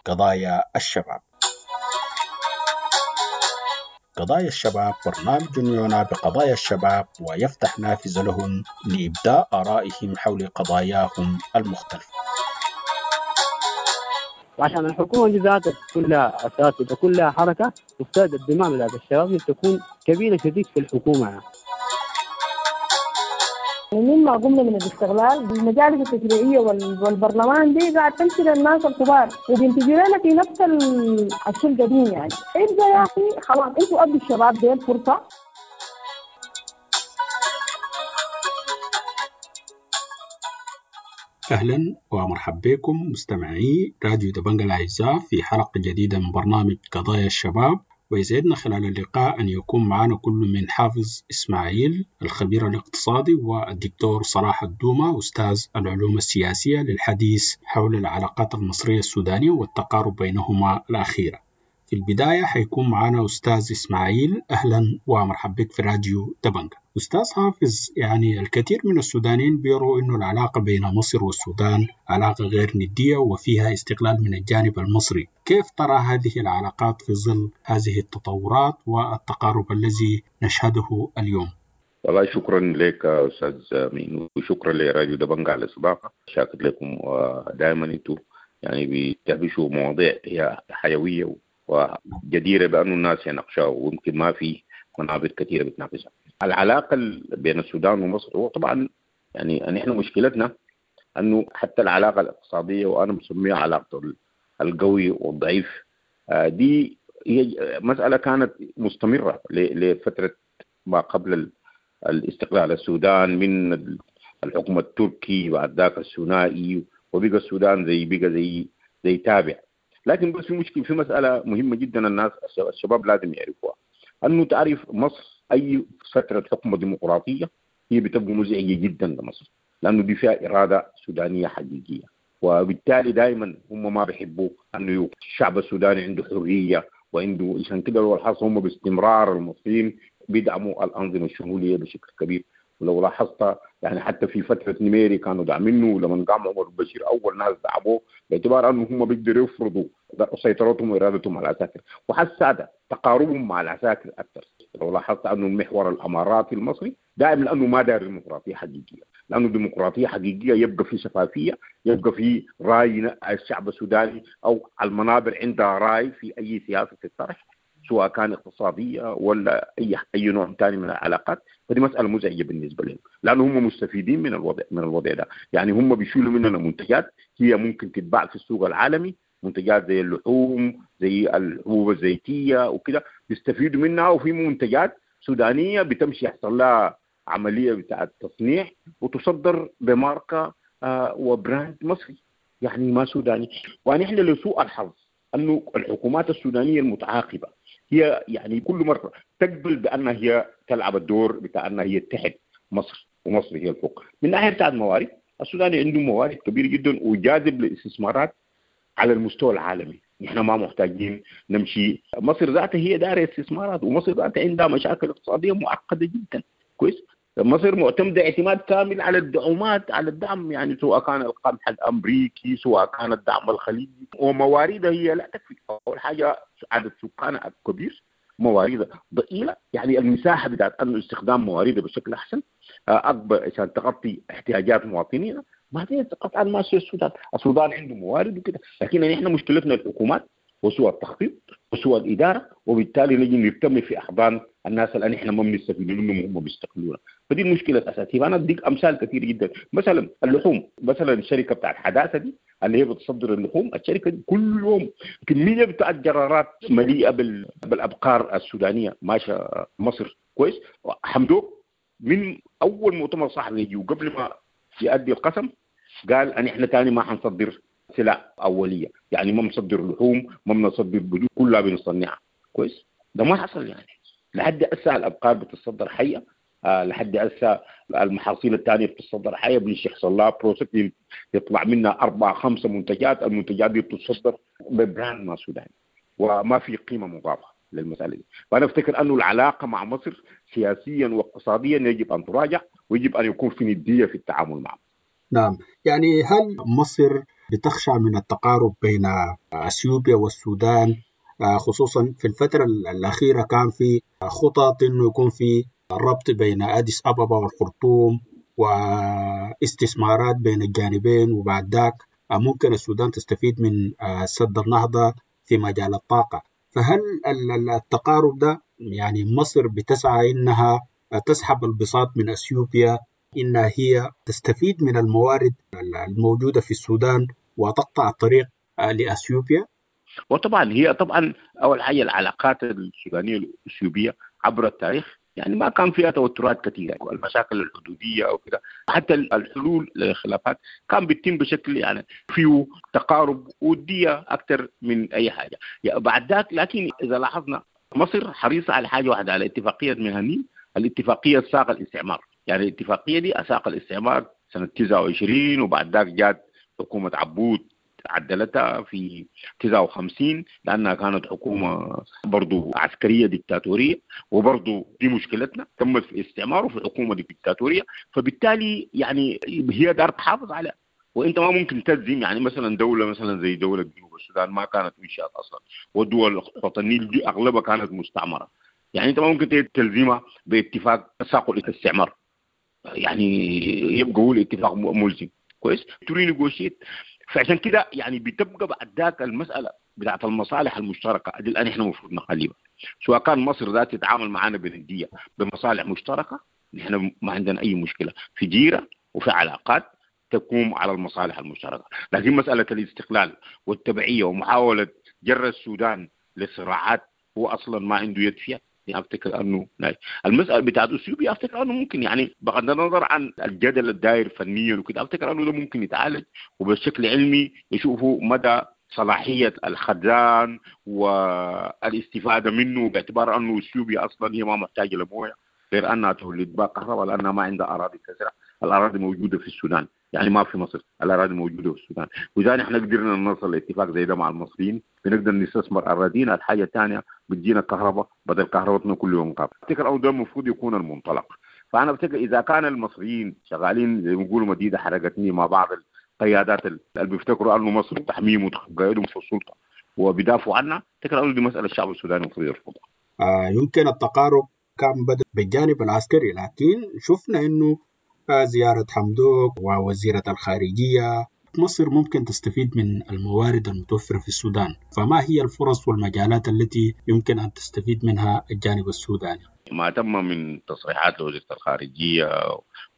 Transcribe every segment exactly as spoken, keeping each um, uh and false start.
قضايا الشباب. قضايا الشباب برنامج يعنى بقضايا الشباب ويفتح نافذة لهم لإبداء آرائهم حول قضاياهم المختلفة. وعشان الحكومة دي ذاتها كلها أساس وكلها حركة تفترض الدماء بتاعت الشباب تكون كبيرة شديد في الحكومة يعني. مما قمنا من الاستغلال المجالس التشريعية والبرلمان دي قاعد تمشي للناس الكبار وبينتجوا لنا في نفس الشيء القديم يعني. ابدا يا اخي خلاص انتوا ادوا الشباب دي فرصة. اهلا ومرحبا بكم مستمعي راديو دبنجا الاعزاء في حلقة جديدة من برنامج قضايا الشباب، ويسعدنا خلال اللقاء أن يكون معنا كل من حافظ إسماعيل الخبير الاقتصادي والدكتور صلاح الدومة أستاذ العلوم السياسية للحديث حول العلاقات المصرية السودانية والتقارب بينهما الأخيرة. في البداية حيكون معنا أستاذ إسماعيل، أهلا ومرحبا بك في راديو دبنجا. أستاذ حافظ، يعني الكثير من السودانيين بيروا أنه العلاقة بين مصر والسودان علاقة غير ندية وفيها استغلال من الجانب المصري، كيف ترى هذه العلاقات في ظل هذه التطورات والتقارب الذي نشهده اليوم؟ والله شكرا لك أستاذ مين، وشكرا لراديو دبنجا على الاستضافة. شاكر لكم، ودائما أنتم يعني بتهبشوا مواضيع هي حيوية وجديرة بأنه الناس يناقشوها، ويمكن ما في منابر كثيرة بتناقشها. العلاقة بين السودان ومصر هو طبعا يعني نحن مشكلتنا أنه حتى العلاقة الاقتصادية، وأنا مسميها علاقة القوي والضعيف، دي هي مسألة كانت مستمرة لفترة ما قبل الاستقلال. السودان من الحكم التركي بعد ذاك الثنائي، وبقى السودان زي بقى زي زي تابع. لكن بس في مشكلة، في مسألة مهمة جدا الناس الشباب لازم يعرفوها، أنه تعرف مصر أي فترة حكم ديمقراطية هي بتبقى مزعجة جدا لمصر، لأنه دي فيها إرادة سودانية حقيقية، وبالتالي دائما هم ما بيحبوا أنه الشعب السوداني عنده حرية وعنده، عشان كده لو لاحظت هم باستمرار المصريين بيدعموا الأنظمة الشمولية بشكل كبير. ولو لاحظت يعني حتى في فترة نميري كانوا داعمينه، ولما قام عمر البشير أول ناس دعموه باعتبار أنه هم بيقدروا يفرضوا سيطرتهم وإرادتهم على العساكر، وحس تقاربهم مع العساكر أكثر. لو لاحظت أنه المحور الأماراتي المصري دائما لأنه ما دار ديمقراطية حقيقية، لأنه ديمقراطية حقيقية يبقى في شفافية، يبقى في رأي الشعب السوداني أو المنابر عندها رأي في أي سياسة تطرح، سواء كان اقتصادية ولا أي أي نوع ثاني من العلاقات. فدي مسألة مزعجة بالنسبة لهم، لأنه هم مستفيدين من الوضع من الوضع ده. يعني هم بيشيلوا مننا منتجات هي ممكن تتباع في السوق العالمي، منتجات زي اللحوم زي الحبوب الزيتية وكده بيستفيدوا منها، وفي منتجات سودانية بتمشي يحصل لها عملية بتاع التصنيع وتصدر بماركة آه وبراند مصري، يعني ما سوداني. ونحن لسوء الحظ أنه الحكومات السودانية المتعاقبة هي يعني كل مرة تقبل بأنها هي تلعب الدور بتاع أنها هي تحت مصر ومصر هي الفوق. من ناحية بتاع الموارد، السوداني عنده موارد كبيرة جدا وجاذب للاستثمارات على المستوى العالمي. نحن ما محتاجين نمشي، مصر ذاتها هي دارة استثمارات، ومصر ذاتها عندها مشاكل اقتصادية معقدة جدا. كويس، مصر معتمدة اعتماد كامل على الدعومات، على الدعم، يعني سواء كان القمح الأمريكي سواء كان الدعم الخليجي، ومواردها هي لا تكفي. أول حاجة عدد سكانها كبير، مواردها ضئيلة، يعني المساحة بتاعت أنه استخدام مواردها بشكل أحسن أكبر عشان تغطي احتياجات مواطنينا. ما في قطعا ما في السودان، السودان عنده موارد وكده، لكن نحن مشكلتنا الحكومات وسوء التخطيط وسوء الإدارة، وبالتالي نجي نرتمي في أحضان الناس اللي نحن ما بنستفيد منهم وهم بيستقبلونا. فدي المشكلة الأساسية. أنا أديك أمثال كثير جدا، مثلا اللحوم، مثلا الشركة بتاعت حداثة دي اللي هي بتصدر اللحوم، الشركة دي كل يوم كمية بتاعت جرارات مليئة بال... بالأبقار السودانية ماشية مصر. كويس، حمدوك من أول مؤتمر صحفي يجي وقبل ما يؤدي القسم قال أن إحنا تاني ما حنصدر سلع أولية، يعني ما بنصدر لحوم، ما بنصدر بدون، كلها بنصنعها. كويس، ده ما حصل يعني لحد هسه الأبقار بتصدر حية، آه لحد هسه المحاصيل الثانية بتصدر حية، بيمشي يحصل لها process يطلع منها أربع خمسة منتجات، المنتجات دي بتصدر ب brand ما سوداني وما في قيمة مضافة للمسألة دي. فأنا أفتكر أنه العلاقة مع مصر سياسيا واقتصاديا يجب أن تراجع، ويجب أن يكون في ندية في التعامل معه. نعم، يعني هل مصر بتخشى من التقارب بين أثيوبيا والسودان، خصوصا في الفترة الأخيرة كان في خطط إنه يكون في ربط بين أديس أبابا والخرطوم واستثمارات بين الجانبين، وبعد ذاك ممكن السودان تستفيد من سد النهضة في مجال الطاقة. فهل التقارب ده يعني مصر بتسعى إنها تسحب البساط من أثيوبيا، إنها هي تستفيد من الموارد الموجودة في السودان وتقطع الطريق لأثيوبيا؟ وطبعا هي طبعا أول حاجة العلاقات السودانية الأثيوبية عبر التاريخ يعني ما كان فيها توترات كثيرة، المشاكل الحدودية أو كده، حتى الحلول للخلافات كان بيتم بشكل يعني فيه تقارب ودية أكثر من أي حاجة يعني بعد ذاك. لكن إذا لاحظنا مصر حريصة على حاجة واحدة، على اتفاقية مهني، الاتفاقية ساق الاستعمار، يعني الاتفاقية دي أساق الاستعمار سنة تسعة وعشرين، وبعد ذاك جات حكومة عبود عدلتها في تسعة وخمسين لأنها كانت حكومة برضو عسكرية ديكتاتورية، وبرضو دي مشكلتنا تمت في استعماره في حكومة ديكتاتورية، فبالتالي يعني هي دار تحافظ على، وانت ما ممكن تلزم يعني مثلا دولة مثلا زي دولة جنوب السودان ما كانت انشأت أصلا، والدول خط النيل دي أغلبها كانت مستعمرة، يعني انت ما ممكن تلزمها باتفاق ساق الاستعمار، يعني يبقى هو الاتفاق ملزم كويس to renegotiate. فعشان كده يعني بتبقى بعد ذاك المسألة بتاعت المصالح المشتركة دي الآن احنا المفروض نخليها، سواء كان مصر ذات تتعامل معنا بندية بمصالح مشتركة، نحن ما عندنا أي مشكلة في جيرة وفي علاقات تقوم على المصالح المشتركة. لكن مسألة الاستقلال والتبعية ومحاولة جر السودان لصراعات هو أصلا ما عنده يد فيها، يعني أفتكر أنه المسألة بتاعت أثيوبيا أفتكر أنه ممكن يعني بغض النظر عن الجدل الداير فنيا وكده، أفتكر أنه ده ممكن يتعالج وبشكل علمي يشوفوا مدى صلاحية الخزان والاستفادة منه، باعتبار أنه أثيوبيا أصلا هي ما محتاجة لمويه غير أنها تولد بها كهرباء لأنها ما عندها أراضي تزرع، الأراضي موجودة في السودان يعني ما في مصر، الأراضي موجودة في السودان. وإذا نحن قدرنا نصل لاتفاق زي ده مع المصريين بنقدر نستثمر أراضينا. الحاجة الثانية بتجينا كهرباء بدل كهربتنا كل يوم قاب. أفتكر أو ده المفروض يكون المنطلق. فأنا أفتكر إذا كان المصريين شغالين زي ما بيقولوا مديدة حرقتني مع بعض القيادات اللي بيفتكروا أنه مصر تحميم وتقيدهم في السلطة وبيدافعوا عنها، أفتكر أنه دي مسألة الشعب السوداني المفروض يرفضها. آه يمكن التقارب كان بدأ بالجانب العسكري، لكن شفنا إنه زيارة حمدوك ووزيرة الخارجية مصر ممكن تستفيد من الموارد المتوفرة في السودان، فما هي الفرص والمجالات التي يمكن أن تستفيد منها الجانب السوداني؟ ما تم من تصريحات لوزيرة الخارجية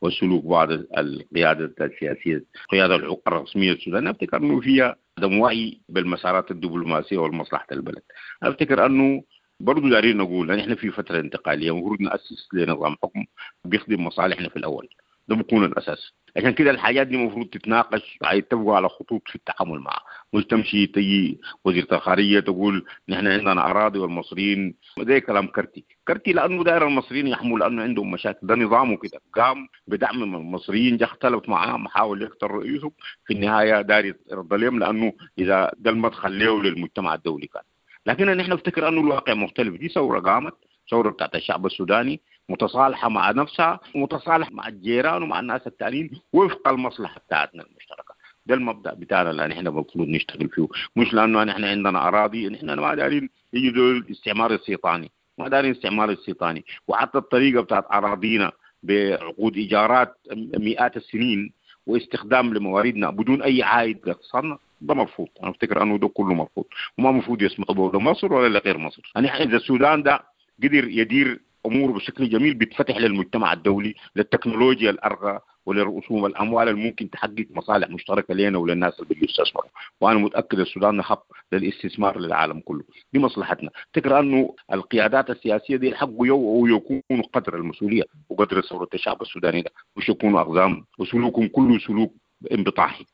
وسلوك بعض القيادة السياسية القيادة الرسمية السودانية، أفتكر أنه فيها عدم وعي بالمسارات الدبلوماسية والمصلحة البلد. أفتكر أنه برضو دارين نقول أن إحنا في فترة انتقالية المفروض نأسس لنظام حكم بيخدم مصالحنا في الأول، ده بيكون الأساس. عشان كده الحاجات دي المفروض تتناقش، يتفقوا على خطوط في التعامل معها، مش تمشي تجي وزيرة الخارجية تقول نحن عندنا أراضي والمصريين، زي كلام كرتي كرتي لأنه داير المصريين يحموا لأنه عندهم مشاكل، ده نظامه كده، قام بدعم من المصريين، جا اختلف معاهم، حاول يقتل رؤيتهم، في النهاية داير يرد لهم لأنه إذا ده المدخل له للمجتمع الدولي كان. لكن نحن نفتكر أنه الواقع مختلف، دي ثورة قامت، ثورة بتاعت الشعب السوداني متصالحة مع نفسها ومتصالحة مع الجيران ومع الناس التانيين وفق المصلحة بتاعتنا المشتركة. ده المبدأ بتاعنا اللي نحن المفروض نشتغل فيه، مش لأنه نحن عندنا أراضي، نحن ما دارين يجي دول الاستعمار السيطاني، ما دارين استعمار السيطاني، وحتى الطريقة بتاعت أراضينا بعقود إيجارات مئات السنين واستخدام لمواردنا بدون أي عائد لاقتصادنا، ده مرفوض. أنا أفتكر أنه ده كله مرفوض وما المفروض يسمح به لمصر ولا لغير مصر. يعني إذا السودان ده قدر يدير اموره بشكل جميل بيتفتح للمجتمع الدولي، للتكنولوجيا الارقى وللرسوم الاموال اللي ممكن تحقق مصالح مشتركة لنا وللناس اللي بيجوا يستثمروا، وانا متاكد السودان خط للاستثمار للعالم كله، دي مصلحتنا. افتكر انه القيادات السياسية دي حقوا يكونوا قدر المسؤولية وقدر ثورة الشعب السوداني ده، مش يكونوا اقزام وسلوكهم كله سلوك انبطاحي.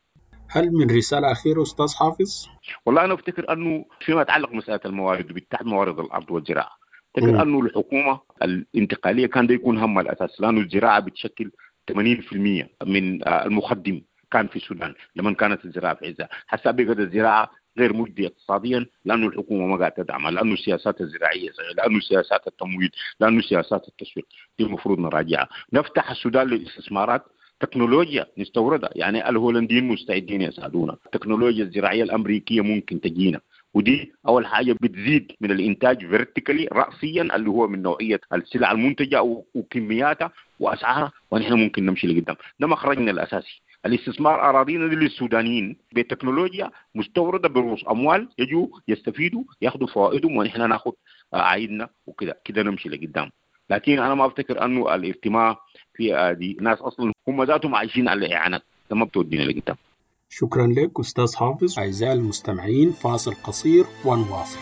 هل من رسالة أخيرة أستاذ حافظ؟ والله أنا أفتكر أنه فيما يتعلق مسألة الموارد وبالتحديد موارد الأرض والزراعة، أفتكر أنه الحكومة الانتقالية كان ده يكون همها الأساس، لأنه الزراعة بتشكل ثمانين بالمئة من المخدم كان في السودان لما كانت الزراعة في عزها. حتى بقت الزراعة غير مجدية اقتصاديا لأنه الحكومة ما قاعدة تدعمها، لأنه السياسات الزراعية، لأنه سياسات التمويل، لأنه سياسات التسويق دي المفروض نراجعها. نفتح السودان للاستثمارات تكنولوجيا نستوردها، يعني الهولنديين مستعدين يساعدونا، التكنولوجيا الزراعية الأمريكية ممكن تجينا، ودي أول حاجة بتزيد من الإنتاج vertically رأسيا اللي هو من نوعية السلع المنتجة وكمياتها وأسعارها، ونحن ممكن نمشي لقدام. ده مخرجنا الأساسي. الاستثمار أراضينا للسودانيين بتكنولوجيا مستوردة برؤوس أموال، يجوا يستفيدوا ياخذوا فوائدهم ونحن ناخذ عائدنا وكده كده نمشي لقدام. لكن أنا ما أفتكر أنه الاجتماع في دي ناس أصلا هم ذاتهم عايشين على الإعانات، ده ما بتودينا لقدام. شكرا لك أستاذ حافظ. أعزائي المستمعين، فاصل قصير ونواصل.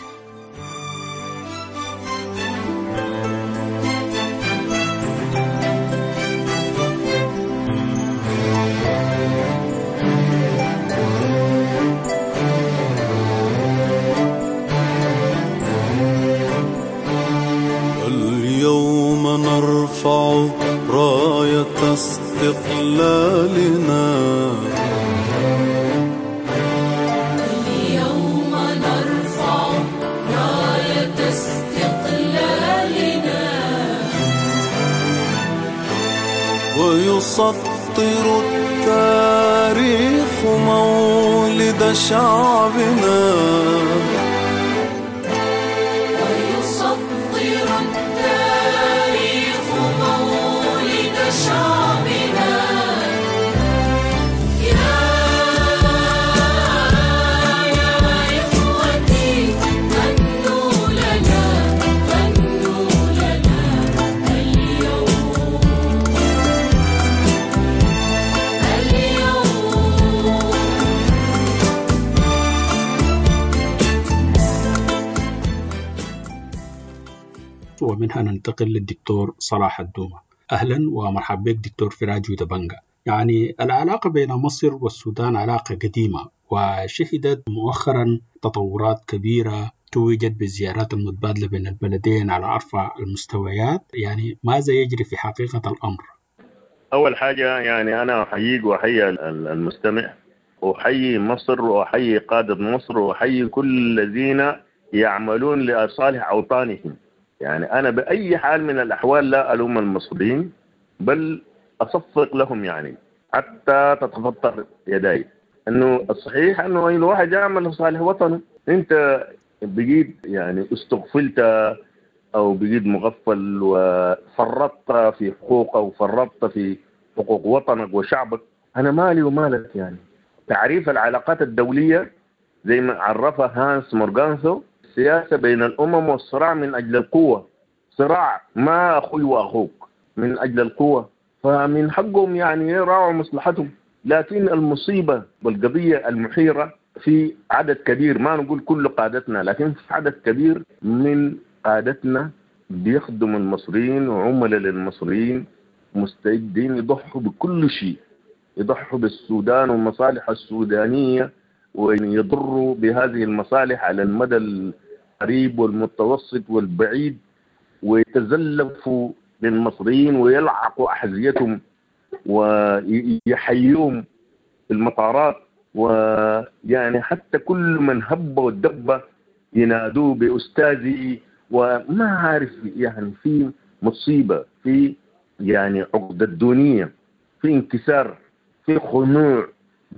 اليوم نرفع راية استقلالنا، اليوم نرفع راية استقلالنا، ويسطر التاريخ مولد شعبنا، ويسطر التاريخ مولد شعبنا. يا يا إخوتي غنوا لنا، غنوا لنا اليوم، اليوم. ومنها ننتقل للدكتور صلاح الدومة. أهلا ومرحبا بك دكتور في راديو دبنجا. يعني العلاقة بين مصر والسودان علاقة قديمة، وشهدت مؤخرا تطورات كبيرة توجت بالزيارات المتبادلة بين البلدين على أرفع المستويات. يعني ماذا يجري في حقيقة الأمر؟ أول حاجة يعني أنا أحييك وأحيي المستمع، وأحيي مصر وأحيي قادة مصر وأحيي كل الذين يعملون لصالح أوطانهم. يعني أنا بأي حال من الأحوال لا ألوم المصريين، بل أصفق لهم يعني حتى تتفطر يداي. أنه الصحيح أنه الواحد يعمل لصالح وطنه. أنت بقيت يعني استغفلت أو بقيت مغفل وفرطت في حقوقك وفرطت في حقوق وطنك وشعبك. أنا مالي ومالك. يعني تعريف العلاقات الدولية زي ما عرفها هانس مورغانثو، السياسة بين الأمم والصراع من أجل القوة، صراع ما أخوي وأخوك من أجل القوة، فمن حقهم يعني يراعوا مصلحتهم. لكن المصيبة والقضية المحيرة في عدد كبير، ما نقول كل قادتنا، لكن في عدد كبير من قادتنا بيخدموا المصريين وعملاء للمصريين، مستعدين يضحوا بكل شيء، يضحوا بالسودان والمصالح السودانية ويضروا بهذه المصالح على المدى القريب والمتوسط والبعيد، ويتزلفوا للمصريين ويلعقوا أحذيتهم ويحيوهم في المطارات، ويعني حتى كل من هب ودب ينادوه بأستاذي وما عارف. يعني في مصيبة، في يعني عقدة دونية، في انكسار، في خنوع،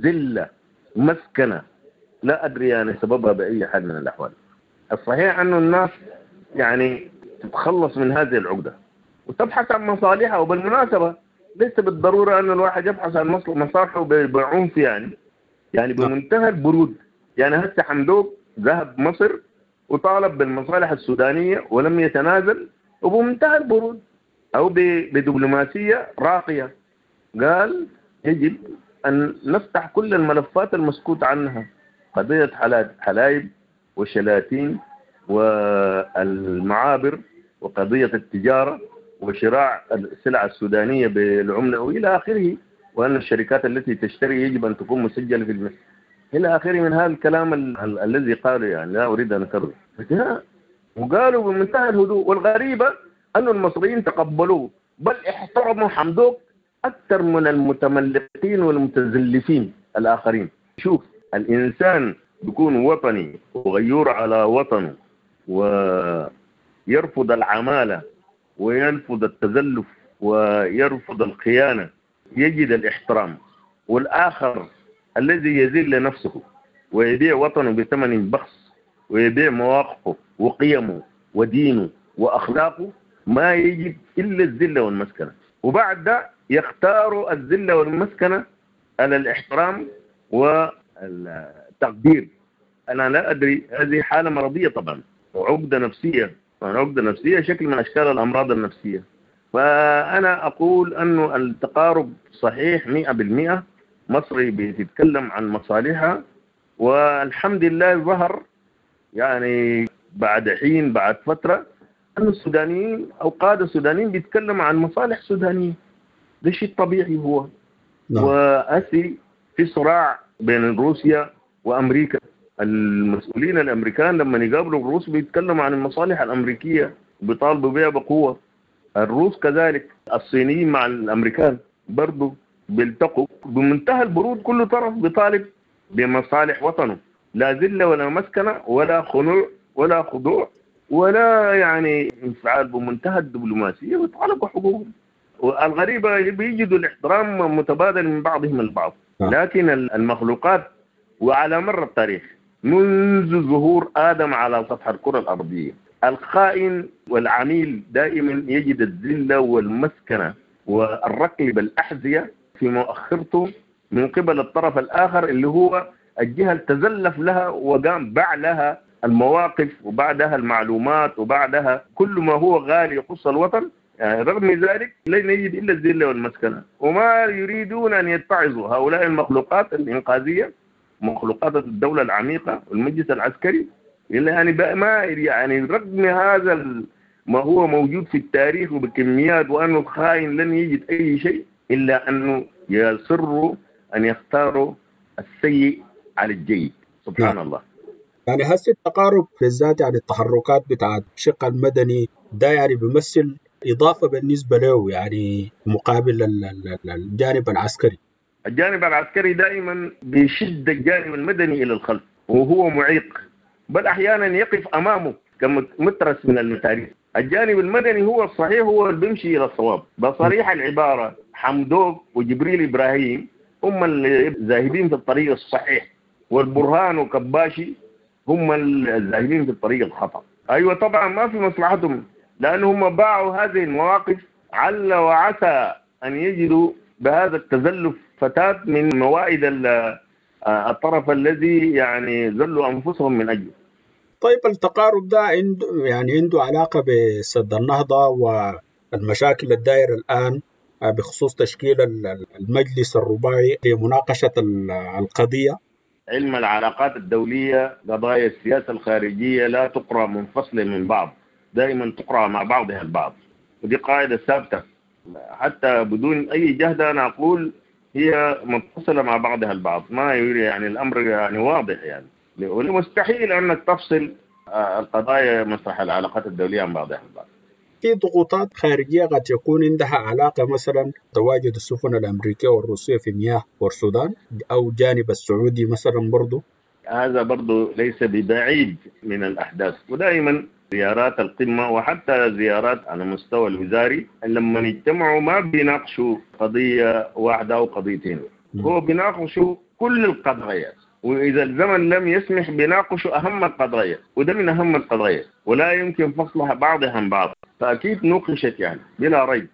ذلة، مسكنة، لا أدري يعني سببها بأي حال من الأحوال. الصحيح أنه الناس يعني تتخلص من هذه العقدة وتبحث عن مصالحها. وبالمناسبة ليس بالضرورة أن الواحد يبحث عن مصالحه بعنف، يعني يعني بمنتهى البرود. يعني هسه حمدوك ذهب مصر وطالب بالمصالح السودانية ولم يتنازل، وبمنتهى البرود أو بدبلوماسية راقية قال يجب أن نفتح كل الملفات المسكوت عنها، قضية حلايب وشلاتين والمعابر وقضية التجارة وشراء السلع السودانية بالعملة وإلى آخره، وأن الشركات التي تشتري يجب أن تكون مسجلة في المسجد إلى آخره من هذا الكلام ال ال الذي قالوا، يعني لا أريد أن أكرره. وقالوا بمنتهى الهدوء. والغريبة أن المصريين تقبلوه، بل احترموا حمدوك أكثر من المتملقين والمتزلفين الآخرين. شوف، الإنسان بيكون وطني وغيور على وطنه ويرفض العمالة ويرفض التزلف ويرفض الخيانة يجد الاحترام، والآخر الذي يذل نفسه ويبيع وطنه بثمن بخس ويبيع مواقفه وقيمه ودينه وأخلاقه ما يجد إلا الذلة والمسكنة. وبعد ده يختاروا الذلة والمسكنة على الاحترام والتقدير. أنا لا أدري، هذه حالة مرضية طبعا وعقدة نفسية، عقدة نفسية شكل من أشكال الأمراض النفسية. فأنا أقول أنه التقارب صحيح مئة بالمئة. مصر بتتكلم عن مصالحها، والحمد لله ظهر يعني بعد حين بعد فترة أن السودانيين أو قادة السودانيين بيتكلموا عن مصالح سودانية. ده شيء طبيعي هو. نعم. وأسي في صراع بين روسيا وأمريكا. المسؤولين الأمريكان لما يقابلوا الروس بيتكلموا عن المصالح الأمريكية وبيطالبوا بها بقوة. الروس كذلك، الصينيين مع الأمريكان برضو بيلتقوا بمنتهى البرود، كل طرف بيطالب بمصالح وطنه، لا ذلة ولا مسكنة ولا خنوع ولا خضوع ولا يعني انفعال، بمنتهى الدبلوماسية ويطالبوا حقوقهم. والغريبة بيجدوا الاحترام متبادل من بعضهم البعض. لكن المخلوقات وعلى مر التاريخ منذ ظهور آدم على سطح الكرة الأرضية، الخائن والعميل دائما يجد الذلة والمسكنة والركب بالأحذية في مؤخرته من قبل الطرف الآخر اللي هو الجهة اللي تزلف لها وقام باع لها المواقف وبعدها المعلومات وبعدها كل ما هو غالي يخص الوطن. يعني رغم ذلك لن يجد إلا الذلة والمسكنة، وما يريدون أن يتعظوا هؤلاء المخلوقات الإنقاذية، مخلوقات الدولة العميقة والمجلس العسكري، إلا يعني ما يعني رغم هذا ما هو موجود في التاريخ وبكميات وأنه الخائن لن يجد أي شيء، إلا أنه يصروا أن يختاروا السيء على الجيد. سبحان نعم. الله. يعني هسه التقارب بالذات يعني التحركات بتاعت الشق المدني ده يعني بيمثل إضافة بالنسبة له، يعني مقابل الجانب العسكري. الجانب العسكري دائما بيشد الجانب المدني إلى الخلف وهو معيق، بل أحيانا يقف أمامه كمترس من المتاريس. الجانب المدني هو الصحيح، هو اللي بيمشي إلى الصواب. بصريح العبارة حمدوك وجبريل إبراهيم هم اللي ذاهبين في الطريق الصحيح، والبرهان وكباشي هم الذاهبين في الطريق الخطأ. أيوة طبعا ما في مصلحتهم، لأن هم باعوا هذه المواقف عل وعسى أن يجدوا بهذا التزلف فتاة من موائد الطرف الذي يعني ذلوا أنفسهم من أجله. طيب التقارب ده عنده يعني عنده علاقة بسد النهضة والمشاكل الدائرة الآن بخصوص تشكيل المجلس الرباعي لمناقشة القضية. علم العلاقات الدولية، قضايا السياسة الخارجية لا تقرأ منفصلة من بعض، دائما تقرأ مع بعضها البعض، ودي قاعدة ثابتة حتى بدون أي جهد. أنا أقول هي متصلة مع بعضها البعض، ما يعني الأمر يعني واضح، يعني مستحيل أنك تفصل القضايا مسرح العلاقات الدولية عن بعضها البعض. في ضغوطات خارجية قد يكون عندها علاقة مثلا تواجد السفن الأمريكية والروسية في مياه بورسودان أو جانب السعودي مثلا برضو. هذا برضو ليس ببعيد من الأحداث، ودائما زيارات القمة وحتى زيارات على مستوى الوزاري لما يجتمعوا ما بيناقشوا قضية واحدة أو قضيتين، هو بيناقشوا كل القضايا، وإذا الزمن لم يسمح بيناقشوا أهم القضايا، وده من أهم القضايا ولا يمكن فصلها بعضها عن بعض، فأكيد نوقشت يعني بلا ريب.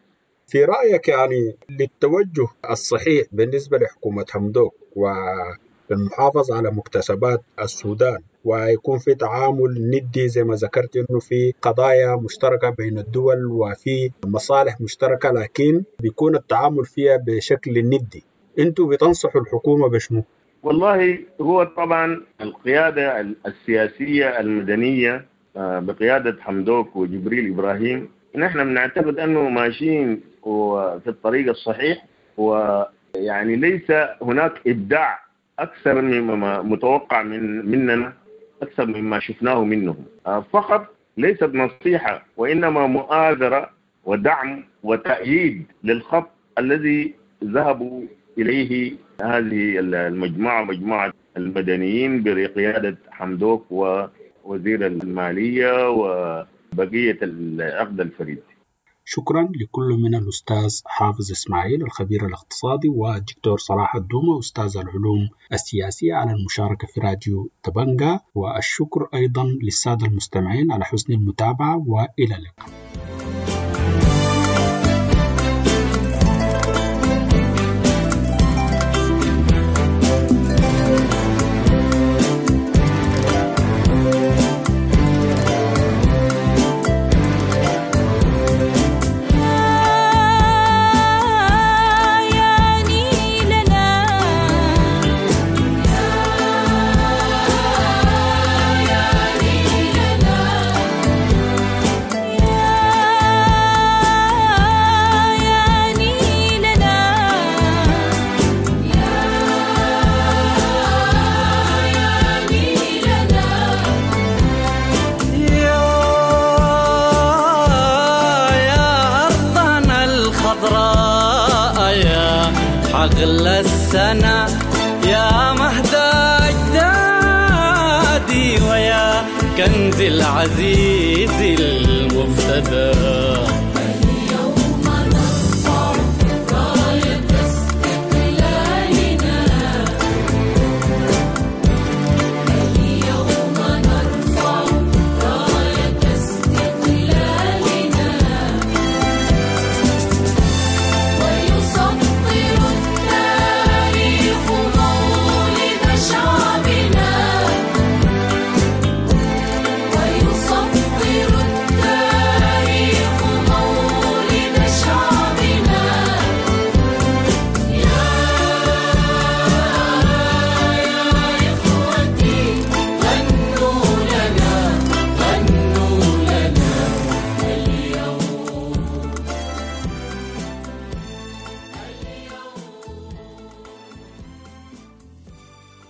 في رأيك يعني للتوجه الصحيح بالنسبة لحكومة حمدوك والمحافظة على مكتسبات السودان ويكون في تعامل ندي زي ما ذكرت إنه في قضايا مشتركة بين الدول وفي مصالح مشتركة، لكن بيكون التعامل فيها بشكل ندي، أنتوا بتنصحوا الحكومة بشنو؟ والله هو طبعا القيادة السياسية المدنية بقيادة حمدوك وجبريل إبراهيم نحن بنعتقد أنه ماشيين في الطريق الصحيح، ويعني ليس هناك إبداع أكثر مما متوقع من مننا، أكثر مما شفناه منهم. فقط ليست نصيحة وإنما مؤازرة ودعم وتأييد للخط الذي ذهبوا إليه هذه المجموعة، مجموعة المدنيين بقيادة حمدوك ووزير المالية وبقية العقد الفريد. شكرا لكل من الأستاذ حافظ إسماعيل الخبير الاقتصادي والدكتور صلاح الدومة أستاذ العلوم السياسية على المشاركة في راديو دبنجا، والشكر أيضا للسادة المستمعين على حسن المتابعة، وإلى اللقاء. يا نيلنا يا نيلنا يا نيلنا يا نيلنا يا يا أرضنا الخضراء يا حقل السنة يا مهد أجدادي ويا كنز العزيز المفتدى.